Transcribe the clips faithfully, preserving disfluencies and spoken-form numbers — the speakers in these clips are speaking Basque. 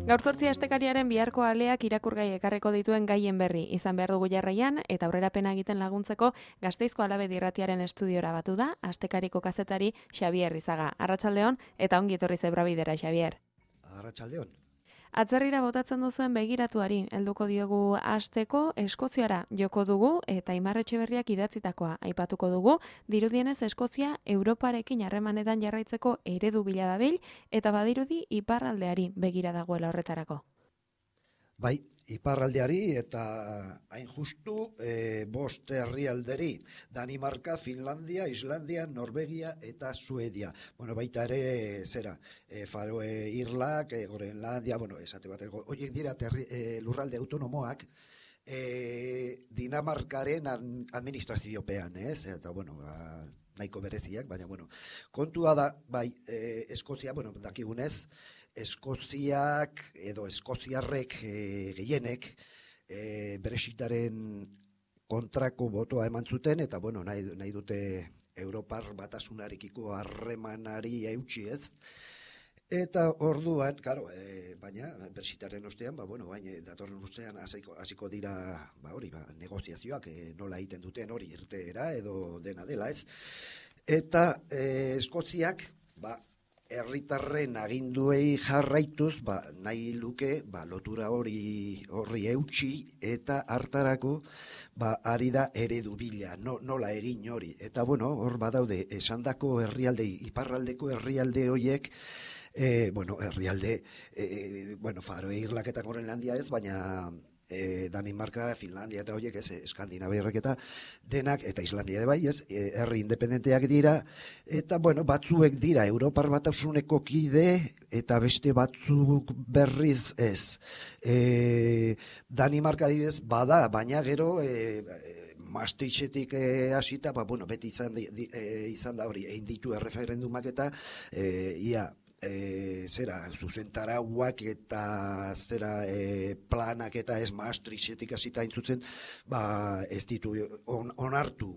Gaur zortzi astekariaren biharko aleak irakurgai ekarreko dituen gaien berri izan behar dugu jarraian eta aurrerapena egiten laguntzeko Gasteizko Alabe Irratiaren estudiora batu da astekariko kazetari Xabier Rizaga. Arratsaldeon eta ongi etorri Zebrabidera, Xabier. Arratsaldeon. Atzerrira botatzen duzuen begiratuari helduko diogu asteko Eskoziara joko dugu eta Aimar Etxeberriak idatzitakoa aipatuko dugu. Dirudienez Eskozia Europarekin harremanetan jarraitzeko eredu bila dabil eta badirudi iparraldeari begira dagoela horretarako. Bai, iparraldeari eta hain justu e, bost herrialderi, Danimarka, Finlandia, Islandia, Norvegia eta Suedia. Bueno, baita ere zera, e, Faroe Irlak, e, Groenlandia, bueno, esate bateko, horiek dira terri, e, lurralde autonomoak, e, Dinamarkaren administraziopean, ez? Eta, bueno, ba, nahiko bereziak, baina, bueno, kontua da, bai, e, Eskozia, bueno, dakigunez, Eskoziak edo Eskoziarrek e, gehienek e, Brexitaren kontrako botoa eman zuten eta bueno, nahi, nahi dute Europar batasunarekiko harremanari eutsi ez. Eta orduan, claro, e, baina Brexitaren ostean, ba bueno, baina datorren urtean hasiko hasiko dira, ba hori, ba negoziazioak e, nola egiten duten hori irteera edo dena dela, ez? Eta e, Eskoziak, ba herritarren aginduei jarraituz, ba, nahi luke, ba, lotura hori horri eutsi eta hartarako, ba, ari da eredu bila, no, nola egin hori. Eta, bueno, hor badaude, esandako herrialde, iparraldeko herrialde horiek, e, bueno, herrialde, e, bueno, Faroe Irlak eta Groenlandia ez, baina E, Danimarka, Finlandia eta horiek, ez, Eskandinaviarrek eta denak, eta Islandia de bai, ez, e, herri independenteak dira, eta, bueno, batzuek dira Europar Batasuneko kide, eta beste batzuk berriz ez. E, Danimarka adibidez bada, baina gero, e, Maastrichtetik e, hasita, ba, bueno, beti izan, di, e, izan da hori, egin ditu erreferendumak eta, e, ia, E, zera, zuzentarauak eta zera e, planak eta ez Maastrichtetik hasita intzutzen, ba, ez ditu on, onartu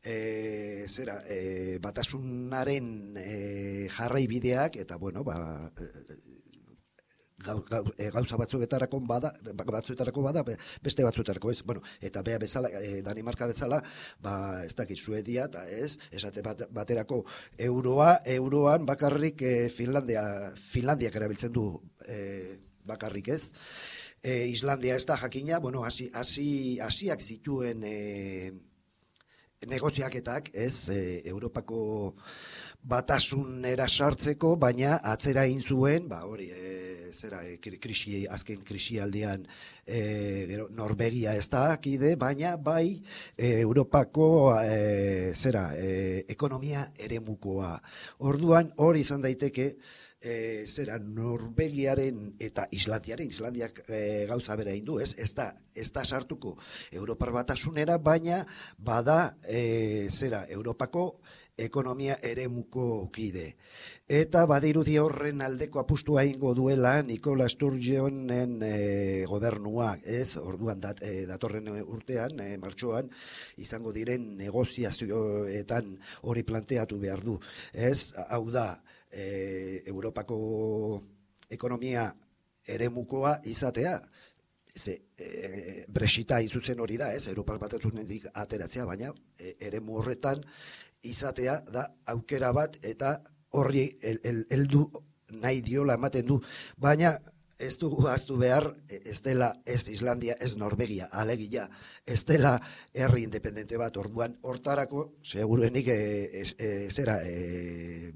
e, zera, e, batasunaren e, jarraibideak eta bueno, ba, Gau, gau, e, gauza batzuetarako bada, batzuetarako bada, beste batzuetarako ez. Bueno, eta bea bezala, e, Danimarka bezala, ba, ez dakit Suedia, eta ez, esate bat, baterako euroa, euroan bakarrik e, Finlandia, Finlandiak erabiltzen du e, bakarrik ez. E, Islandia ez da jakina, bueno, hasi, hasi, hasiak zituen e, negoziaketak, ez, e, Europako batasunera sartzeko, baina atzera egin zuen, ba hori, e, zera, e, krisi, azken krisialdian e, gero, Norvegia ez da akide, baina bai e, Europako e, zera, e, ekonomia eremukoa. Orduan hori izan daiteke, e, zera, Norvegiaren eta Islandiaren, Islandiak e, gauza bera egin du, ez, ez da, ez da sartuko Europar batasunera, baina bada e, zera, Europako ekonomia eremuko kide. Eta badirudi horren aldeko apustua egingo duela Nicola Sturgeonen e, gobernuak, ez? Orduan dat, e, datorren urtean, e, martxoan, izango diren negoziazioetan hori planteatu behar du. Ez, hau da, e, Europako ekonomia eremukoa izatea, Ze, e, Brexita izutzen hori da, ez? Europar batasunetik ateratzea, baina e, eremu horretan izatea da aukera bat eta horri heldu nahi diola ematen du. Baina ez du ahaztu behar, ez dela ez Islandia, ez Norvegia, alegia, ez dela herri independente bat. Orduan hortarako, seguruenik e, ez, e, zera, e,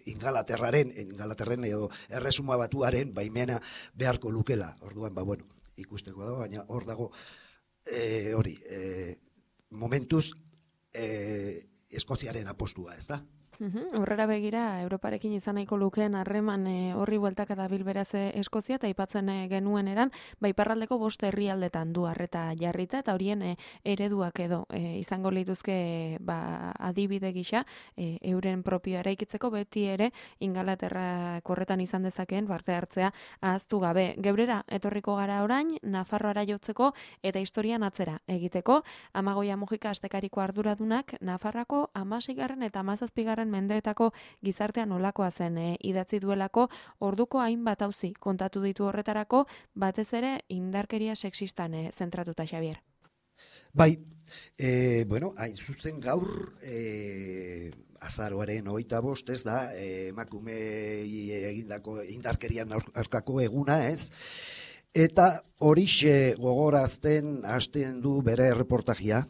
Ingalaterraren, Ingalaterren edo erresuma batuaren baimena beharko lukela. Orduan, ba, bueno, ikusteko da, baina hor dago e, hori, e, momentuz e, Eskoziaren apostua, ez da? Horrera begira, Europarekin izan nahiko lukeen harreman e, horri bueltaka dabil beraz Eskozia, eta aipatzen e, genuen eran, baiparraldeko bost herrialdetan du harreta jarrita, eta horien e, ereduak edo e, izango lituzke ba, adibide gisa, e, euren propioa eraikitzeko beti ere Ingalaterra korretan izan dezakeen parte hartzea ahaztu gabe. Geurera, etorriko gara orain, Nafarroara jotzeko eta historian atzera egiteko, Amagoia Mujika astekariko arduradunak, Nafarroako hamaseigarren eta hamazazpigarren datorren mendeetako gizartea nolakoa zen e, idatzi duelako, orduko hainbat auzi kontatu ditu horretarako, batez ere indarkeria sexistan e, zentratuta, Xabier. Bai, e, bueno, hain zuzen gaur e, azaroaren hogeita bost, ez da, emakumei egindako indarkerian aurkako eguna, ez? Eta horixe gogorazten hasten du bere erreportajia.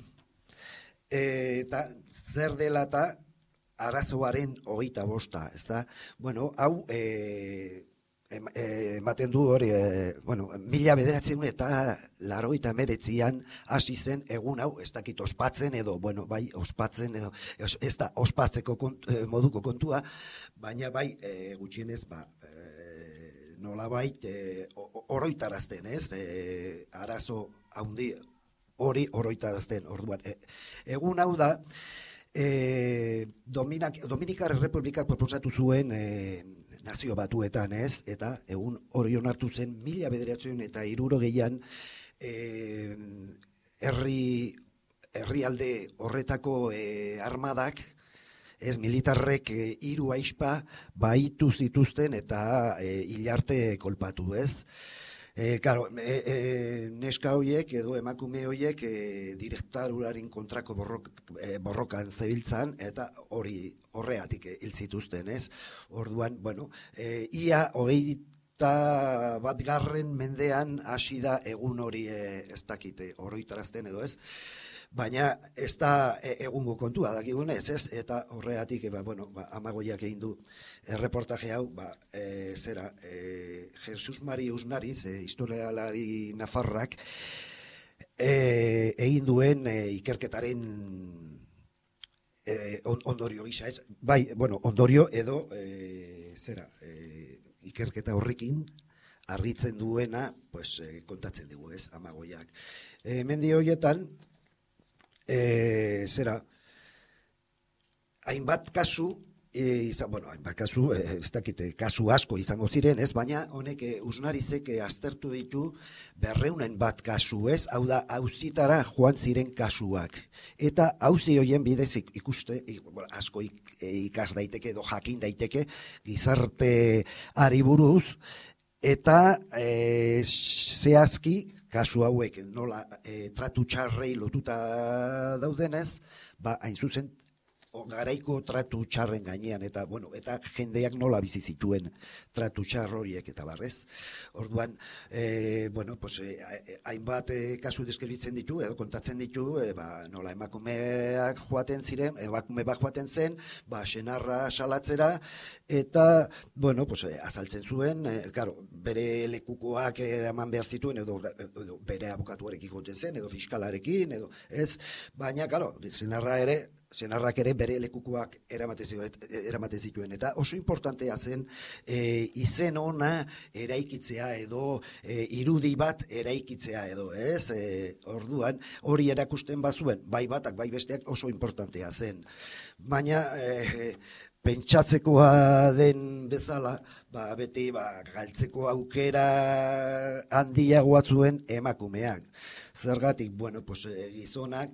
Eta zer dela eta arazoaren hogeita bosta, ez da? Bueno, hau e, ematen du hori, e, bueno, mila bederatzen eta larogeita meretzian hasi zen egun hau, ez dakit ospatzen edo, bueno, bai, ospatzen edo, ez da ospatzeko kont, moduko kontua, baina bai, e, gutxienez, ba, e, nolabait, e, oroitarazten, ez? E, arazo handi hori oroitarazten, orduan. E, egun hau da, e, Dominak, Dominikar Republikak proposatu zuen e, nazio batuetan, ez? Eta egun hori onartu zen mila bederatzen eta hirurogeian e, herri herrialde horretako e, armadak, ez, militarrek e, hiru aizpa baitu zituzten eta e, hilarte kolpatu, ez? E, claro, e, e, neska horiek edo emakume horiek e, direktaruraren kontrako borrok, e, borrokan zebiltzan eta hori horreatik hil zituzten, ez? Orduan, bueno, e, ia hogeita bat garren mendean hasi da egun hori e, ez dakite oroitarazten edo ez, baina ez da egungo kontua dakigunez, ez? Eta horregatik, ba, bueno, ba, Amagoiak egin du erreportaje hau, ba, e, zera, e, Jesus Mari Usnariz, e, historialari nafarrak, e, egin duen e, ikerketaren e, ondorio gisa, ez? Bai, bueno, ondorio edo, e, zera, e, ikerketa horrekin argitzen duena, pues, e, kontatzen dugu, ez, Amagoiak. E, mendi horietan, E, zera, hainbat kasu, e, izan, bueno, hainbat kasu, e, ez dakite, kasu asko izango ziren, ez, baina honek e, Usnarizek e, aztertu ditu berreunen bat kasu, ez, hau da, auzitara joan ziren kasuak. Eta auzi horien bidez ikuste, bueno, asko ik, ikas daiteke edo jakin daiteke gizarte ari buruz, eta e, zehazki, kasu hauek nola e, tratu txarrei lotuta daudenez, ba, hain zuzen, garaiko tratu txarren gainean, eta, bueno, eta jendeak nola bizi zituen tratu txar horiek eta barrez. Orduan, e, bueno, pues, e, hainbat e, kasu deskribitzen ditu, edo kontatzen ditu, e, ba, nola emakumeak joaten ziren, emakume bat joaten zen, ba, senarra salatzera, eta, bueno, pues, e, azaltzen zuen, e, claro, bere lekukoak eraman behar zituen, edo, edo bere abokatuarekin joten zen, edo fiskalarekin, edo, ez, baina, claro, senarra ere, senarrak ere bere lekukoak eramaten zituen, eta oso importantea zen e, izen ona eraikitzea edo e, irudi bat eraikitzea edo, ez? E, orduan, hori erakusten bazuen, bai batak, bai besteak oso importantea zen. Baina, e, pentsatzekoa den bezala, ba, beti ba, galtzeko aukera handiagoa zuen emakumeak. Zergatik, bueno, pues, e, gizonak,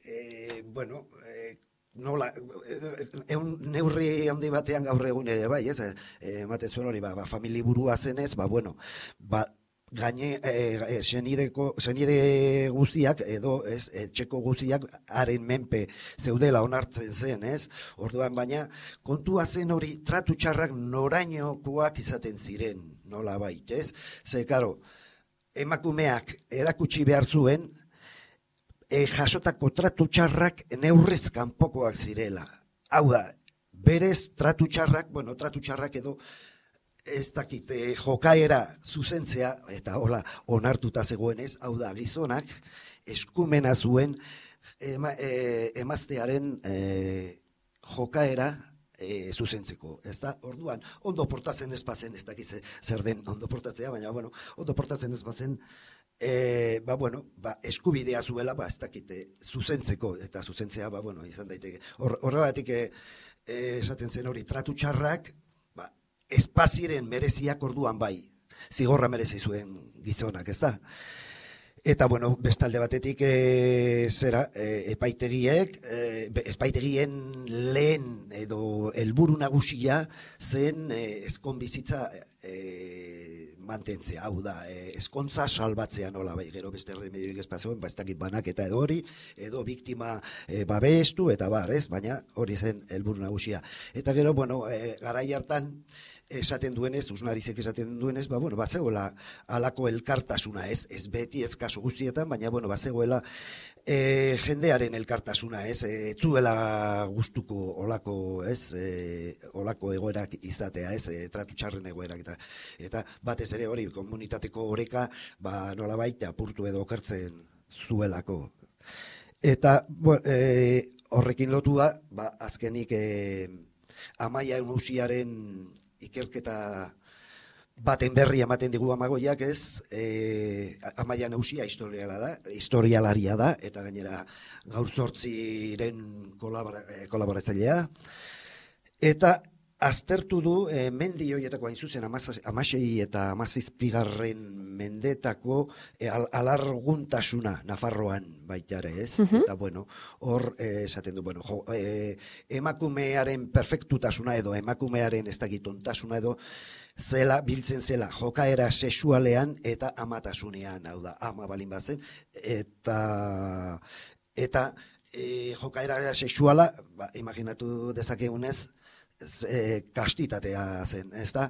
E, bueno, e, nola, egun neurri handi batean gaur egun ere, bai, ez, ematen zuen hori, ba, ba, famili burua zenez, ba, bueno, ba, gaine, e, senideko, senide guztiak, edo, ez, etxeko guztiak, haren menpe zeudela onartzen zen, ez, orduan, baina, kontua zen hori, tratu txarrak norainokoak izaten ziren, nola bait, ez, ze, karo, emakumeak erakutsi behar zuen, E, jasotako tratu txarrak neurrez kanpokoak zirela. Hau da, berez tratu txarrak, bueno, tratu txarrak edo ez dakite jokaera zuzentzea, eta hola onartuta zegoenez, hau da, gizonak eskumena zuen ema, e, emaztearen e, jokaera e, zuzentzeko, ez da? Orduan, ondo portatzen ez bazen, ez dakize zer den ondo portatzea, baina, bueno, ondo portatzen ez bazen, E, ba, bueno, ba, eskubidea zuela, ba, ez dakite, zuzentzeko, eta zuzentzea, ba, bueno, izan daiteke. Horregatik, e, esaten zen hori, tratu txarrak, ba, espaziren mereziak orduan bai, zigorra merezi zuen gizonak, ez da? Eta, bueno, bestalde batetik e, zera, e, epaitegiek, e, epaitegien lehen edo helburu nagusia zen e, ezkon bizitza e, mantentzea, hau da, e, ezkontza salbatzea nola, bai, gero beste erremediorik ez pasoen, ba, ez dakit banak eta edo hori, edo biktima e, babestu eta bar, ez, baina hori zen helburu nagusia. Eta gero, bueno, e, garai hartan, esaten duenez, Usnarizek esaten duenez, ba, bueno, bazegoela alako elkartasuna, ez, ez beti, ez kasu guztietan, baina, bueno, bazegoela e, jendearen elkartasuna, ez, ez zuela gustuko olako, ez, e, olako egoerak izatea, ez, e, tratu txarren egoerak, eta, eta batez ere hori, komunitateko oreka, ba, nola baita, apurtu edo okertzen zuelako. Eta, bueno, e, horrekin lotua, ba, azkenik, e, Amaia Nausiaren ikerketa baten berri ematen digu Amagoiak, ez, e, Amaia Nausia historiala da, historialaria da, eta gainera gaur zortziren kolabora, kolaboratzailea, eta aztertu du e, mendi horietako hain zuzen amasei eta amazazpigarren mendetako e, al, alarguntasuna Nafarroan baitare, ez? Uh-huh. Eta bueno, hor e, esaten du, bueno, jo, e, emakumearen perfektutasuna edo emakumearen ez dakitontasuna edo zela, biltzen zela, jokaera sexualean eta amatasunean, hau da, ama balin batzen, eta eta e, jokaera sexuala, ba, imaginatu dezakegunez, E, kastitatea zen, ez da?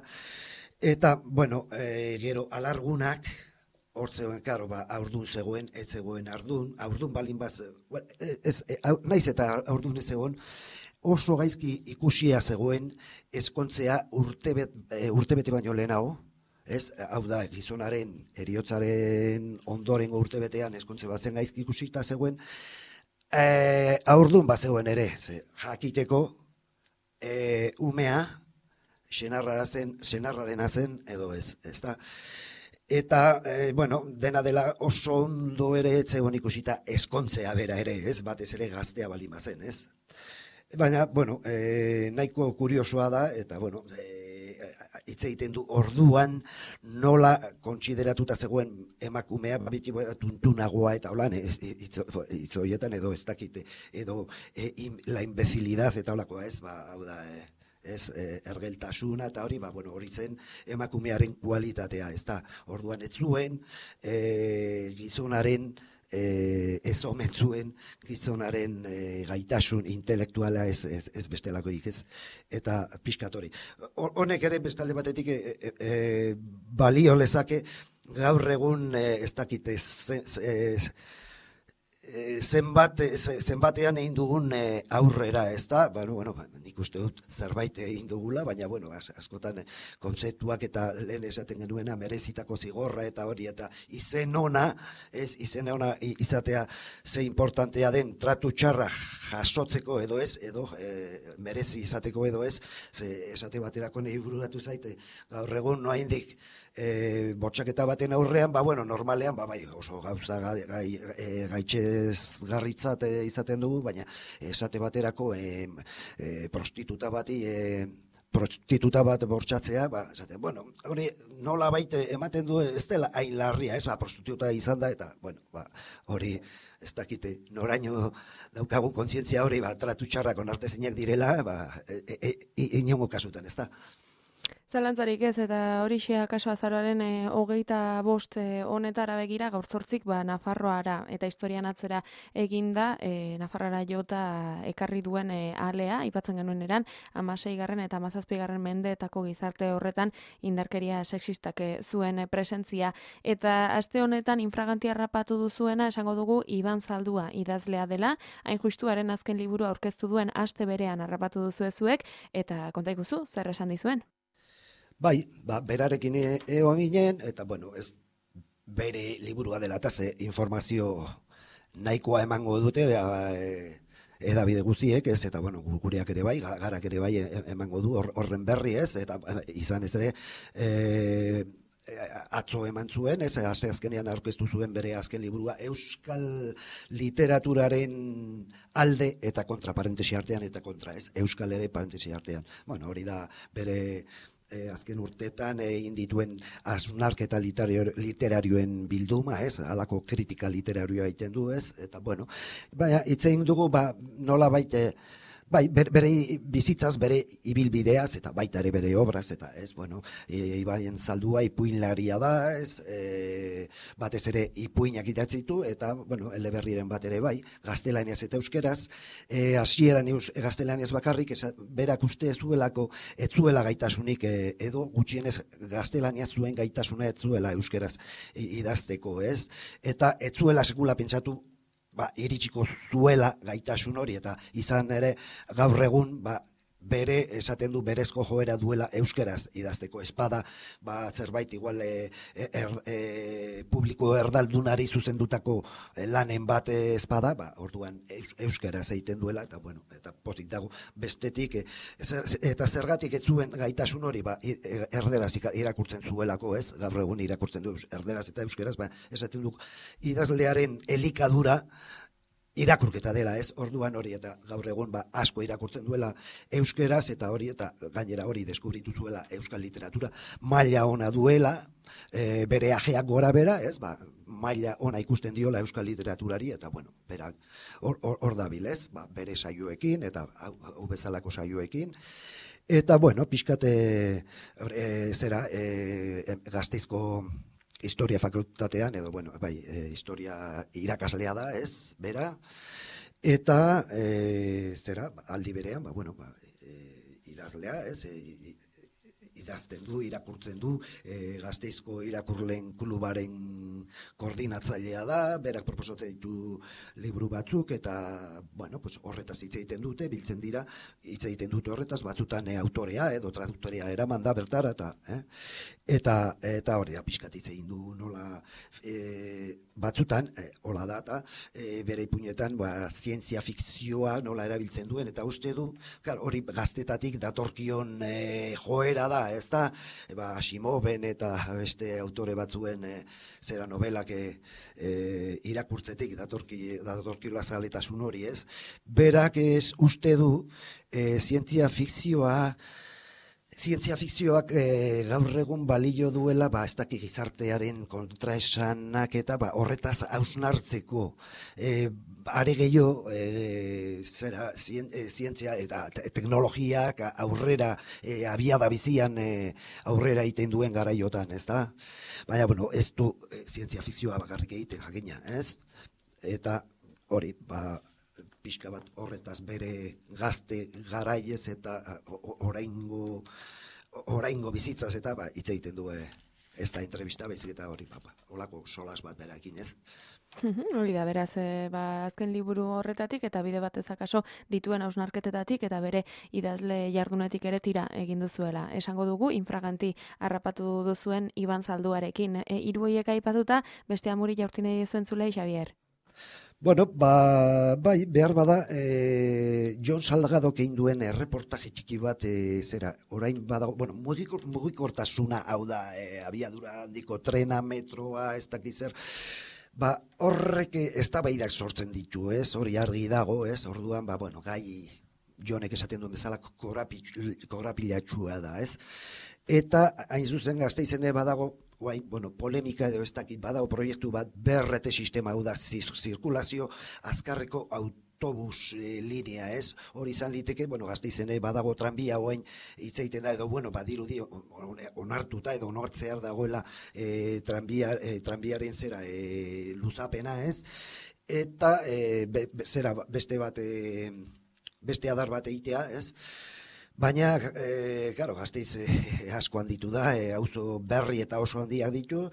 Eta, bueno, e, gero alargunak, hor zegoen, karo, ba, aurdun zegoen, ez zegoen ardun, aurdun balin bat, ez, e, naiz eta aurdun ez zegoen, oso gaizki ikusia zegoen ezkontzea urtebet, e, urtebete baino lehenago, ez, hau da, gizonaren, eriotzaren ondorengo urtebetean ezkontze bat zen gaizki ikusita zegoen, e, aurdun bat zegoen ere, ze, jakiteko, E, umea senarrara zen, senarrarena zen edo ez, ezta? Eta, e, bueno, dena dela oso ondo ere etzegon ikusita eskontzea bera ere, ez? Batez ere gaztea balima zen, ez? Baina, bueno, e, nahiko kuriosoa da, eta, bueno, e, hitz egiten du orduan nola kontsideratuta zegoen emakumea biti tuntunagoa eta holan hitz horietan edo ez dakite edo e, in, la imbecilidad eta holakoa ez, ba, hau da, e, ez, e, ergeltasuna eta hori, ba, bueno, hori zen emakumearen kualitatea, ez da, orduan ez zuen e, gizonaren E, ez omen zuen gizonaren e, gaitasun intelektuala ez, ez, ez bestelakoik ez, eta pixkatori. Honek ere bestalde batetik e, e, e, balio lezake gaur egun e, ez dakite ze, ze, zenbat, zenbatean egin dugun e, aurrera, ez da, bueno, bueno, nik uste dut zerbait egin dugula, baina, bueno, askotan kontzeptuak eta lehen esaten genuena merezitako zigorra eta hori, eta izen ona, ez, izen ona izatea ze importantea den tratu txarra jasotzeko edo ez, edo e, merezi izateko edo ez, ze esate baterako nahi bururatu zaite, gaur egun noa indik, E, botxaketa baten aurrean, ba, bueno, normalean, ba, bai, oso gauza gai, gai, e, gaitxez garritzat e, izaten dugu, baina esate baterako e, e, prostituta bati, e, prostituta bat bortxatzea, ba, esaten, bueno, hori nola baite ematen du ez dela hain larria, ez, ba, prostituta izan da, eta, bueno, ba, hori ez dakite, noraino daukagun kontzientzia hori, ba, tratu txarrak onartezinak direla, ba, e, e, e, inongo kasutan, ez da. Zalantzarik ez, eta hori xea kaso azaroaren e, hogeita bost e, honetara begira gaur zortzik ba, Nafarroara eta historian atzera eginda e, Nafarroara jota ekarri duen e, alea, aipatzen genuen eran, amaseigarren eta amazazpigarren mendeetako gizarte horretan indarkeria sexistak e, zuen e, presentzia. Eta aste honetan infragantia rapatu duzuena esango dugu Iban Zaldua idazlea dela, hain justuaren azken liburu aurkeztu duen aste berean harrapatu duzuezuek, eta konta ikuzu, zer esan dizuen? Bai, ba, berarekin egon ginen, eta, bueno, ez bere liburua dela, eta ze informazio nahikoa emango dute, e, edabide guztiek, ez, eta, bueno, gureak ere bai, garak ere bai emango du horren berri, ez, eta izan ez ere, e, atzo eman zuen, ez, azkenean aurkeztu zuen bere azken liburua, euskal literaturaren alde eta kontra parentesi artean, eta kontra, ez, euskal ere parentesi artean. Bueno, hori da bere e, azken urteetan egin dituen hausnarketa literario, literarioen bilduma, ez? Halako kritika literarioa egiten du, ez? Eta bueno, baina hitz egin dugu ba nola baite bai, bere, bere bizitzaz, bere ibilbideaz, eta baita ere bere obraz, eta ez, bueno, e, Ibaien Zaldua ipuinlaria da, ez, e, batez ere ipuinak idatzi ditu, eta, bueno, eleberriren bat ere bai, gaztelaniaz eta euskeraz, e, hasieran eus, gaztelaniaz bakarrik, esa, berak uste zuelako, ez zuela gaitasunik, e, edo gutxienez gaztelaniaz zuen gaitasuna ez zuela euskeraz idazteko, ez, eta ez zuela sekula pentsatu, ba, iritsiko zuela gaitasun hori, eta izan ere gaur egun ba, bere, esaten du, berezko joera duela euskeraz idazteko espada, ba, zerbait igual e, er, e, publiko erdaldunari zuzendutako lanen bat espada, ba, orduan eus, euskeraz egiten duela, eta bueno, eta pozik dago bestetik, e, zer, eta zergatik ez zuen gaitasun hori, ba, erderaz irakurtzen zuelako, ez, gaur egun irakurtzen du erderaz eta euskeraz, ba, esaten du, idazlearen elikadura, irakurketa dela, ez, orduan hori eta gaur egun ba, asko irakurtzen duela euskeraz eta hori eta gainera hori deskubritu zuela euskal literatura maila ona duela, e, bere ajeak gora bera, ez, ba, maila ona ikusten diola euskal literaturari eta bueno, berak hor, hor, hor dabil, ez, ba, bere saioekin eta hau, hau bezalako saioekin. Eta bueno, pixkate e, zera e, Gasteizko historia fakultatean, edo, bueno, bai, e, historia irakaslea da, ez, bera, eta, e, zera, aldi berean, ba, bueno, ba, e, idazlea, ez, e, idazten du, irakurtzen du, e, Gasteizko irakurleen klubaren koordinatzailea da, berak proposatzen ditu liburu batzuk, eta, bueno, pues, horretaz hitz egiten dute, biltzen dira, hitz egiten dute horretaz, batzutan e, autorea, edo traduktorea eraman da bertara, eta, eh? eta, eta hori da, pixkat hitz egin du, nola, e, batzutan, e, hola da, eta e, bere ipuinetan, ba, zientzia fikzioa nola erabiltzen duen, eta uste du, klar, hori gaztetatik datorkion e, joera da, ez da, e, ba, Asimoven eta beste autore batzuen e, zera novelak e, e, irakurtzetik datorki, datorkila zaletasun hori, ez? Berak ez uste du e, zientzia fikzioa, zientzia fikzioak e, gaur egun balio duela, ba, ez daki gizartearen kontraesanak eta ba, horretaz hausnartzeko. E, are gehiago, e, zera, zien, e, zientzia eta te, teknologiak aurrera, e, abiada bizian e, aurrera egiten duen garaiotan, ez da? Baina, bueno, ez du e, zientzia fikzioa bakarrik egiten jakina, ez? Eta hori, ba, pixka bat horretaz bere gazte garaiez eta oraingo oraingo bizitzaz eta ba, hitz egiten du ez da entrevista baizik eta hori papa. Holako solas bat berakin, ez? Hori da, beraz, e, ba, azken liburu horretatik eta bide batez akaso dituen hausnarketetatik eta bere idazle jardunetik ere tira egin duzuela. Esango dugu, infraganti harrapatu duzuen Iban Zalduarekin. E, hiru horiek aipatuta, beste amuri jaurti nahi zuen zulei, Xabier? Bueno, ba, bai, behar bada, e, Jon Salgadok egin duen erreportaje txiki bat, e, zera, orain badago, bueno, mugikor, mugikortasuna hau da, e, abiadura handiko trena, metroa, ez dakiz zer, ba, horrek eztabaidak sortzen ditu, ez, hori argi dago, ez, orduan, ba, bueno, gai, Jonek esaten duen bezala korapilatxua da, ez, eta hain zuzen Gasteizene badago, guain, bueno, polemika edo ez dakit badago proiektu bat berrete sistema hau da zirkulazio azkarreko autobus e, linea, ez? Hori izan liteke, bueno, Gasteizene badago tranbia hoain hitz egiten da edo, bueno, badirudi onartuta edo onartzear dagoela e, tranbia, e, tranbiaren zera e, luzapena, ez? Eta e, be, zera beste bat e, beste adar bat egitea, ez? Baina, e, claro, Gasteiz e, asko handitu da, e, auzo berri eta oso handiak ditu,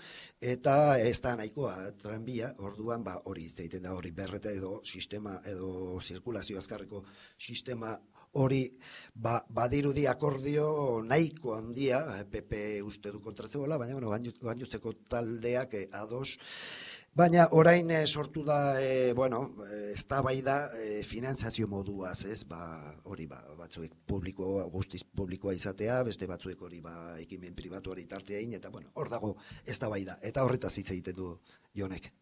eta ez da nahikoa tranbia, orduan, ba, hori hitz egiten da, hori berreta edo sistema, edo zirkulazio azkarreko sistema hori, ba, badirudi akordio nahiko handia, P P uste du kontratzegoela, baina, bueno, gainontzeko taldeak e, ados. Baina orain e, sortu da, e, bueno, eztabaida e, finantzazio moduaz, ez, ba, hori ba, batzuek publiko, guztiz publikoa izatea, beste batzuek hori ba, ekimen pribatuari tartea egin, eta bueno, hor dago eztabaida, eta horretaz hitz egiten du Jonek.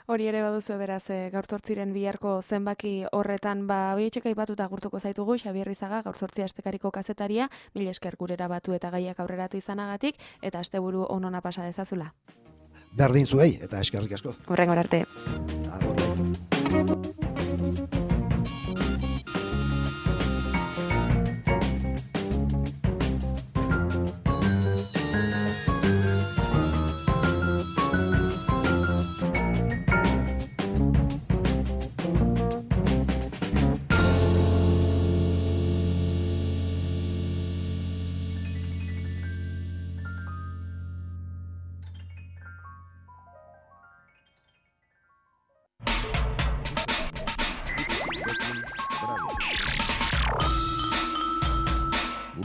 Hori ere baduzu beraz, e, gaur zortziren biharko zenbaki horretan, ba, horietxeka ipatuta agurtuko zaitugu, Xabier Rizaga, gaur zortzia astekariko kazetaria, mil esker gurera batu eta gaiak aurreratu izanagatik, eta asteburu onona pasa dezazula. Berdin zuei, eta eskerrik asko. Hurrengor arte. Agur.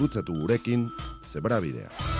Gurutzatu gurekin Zebrabidea.